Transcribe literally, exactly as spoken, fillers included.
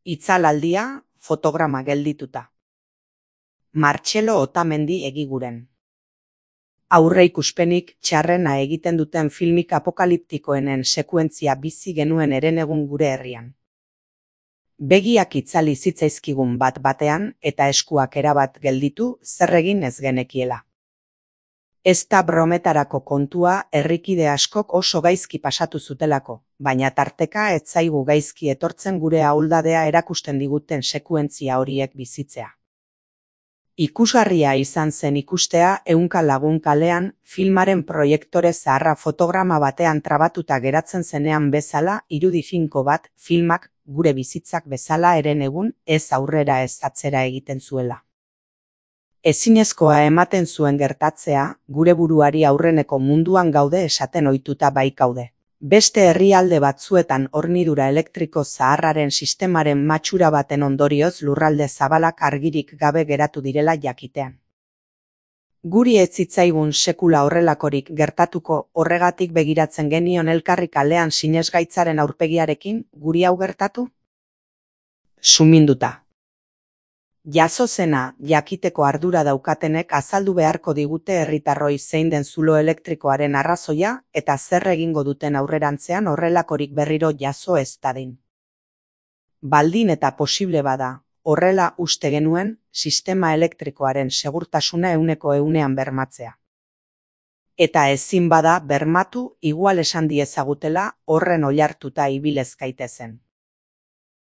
Itzalaldia, fotograma geldituta. Martxelo Otamendi egiguren. Aurreikuspenik txarrena egiten duten filmik apokaliptikoenen sekuentzia bizi genuen herenegun gure herrian. Begiak itzali zitzaizkigun bat batean eta eskuak erabat gelditu zer egin ez genekiela. Ez da brometarako kontua herrikide askok oso gaizki pasatu zutelako, baina tarteka ez zaigu gaizki etortzen gure ahuldadea erakusten diguten sekuentzia horiek bizitzea. Ikusgarria izan zen ikustea ehunka lagun kalean filmaren proiektore zaharra fotograma batean trabatuta geratzen zenean bezala irudi finko bat filmak gure bizitzak bezala herenegun ez aurrera ez atzera egiten zuela. Ezinezkoa ematen zuen gertatzea, gure buruari aurreneko munduan gaude esaten ohituta baikaude. Beste herrialde batzuetan hornidura elektriko zaharraren sistemaren matxura baten ondorioz lurralde zabalak argirik gabe geratu direla jakitean. Guri ez zitzaigun sekula horrelakorik gertatuko, horregatik begiratzen genion elkarri kalean sinesgaitzaren aurpegiarekin, guri hau gertatu? Suminduta. Jazo zena jakiteko ardura daukatenek azaldu beharko digute herritarroi zein den zulo elektrikoaren arrazoia eta zer egingo duten aurrerantzean horrelakorik berriro jazo ez dadin. Baldin eta posible bada, horrela uste genuen sistema elektrikoaren segurtasuna ehuneko ehunean bermatzea. Eta ezin bada bermatu igual esan diezagutela horren oihartuta ibilez gaitezen.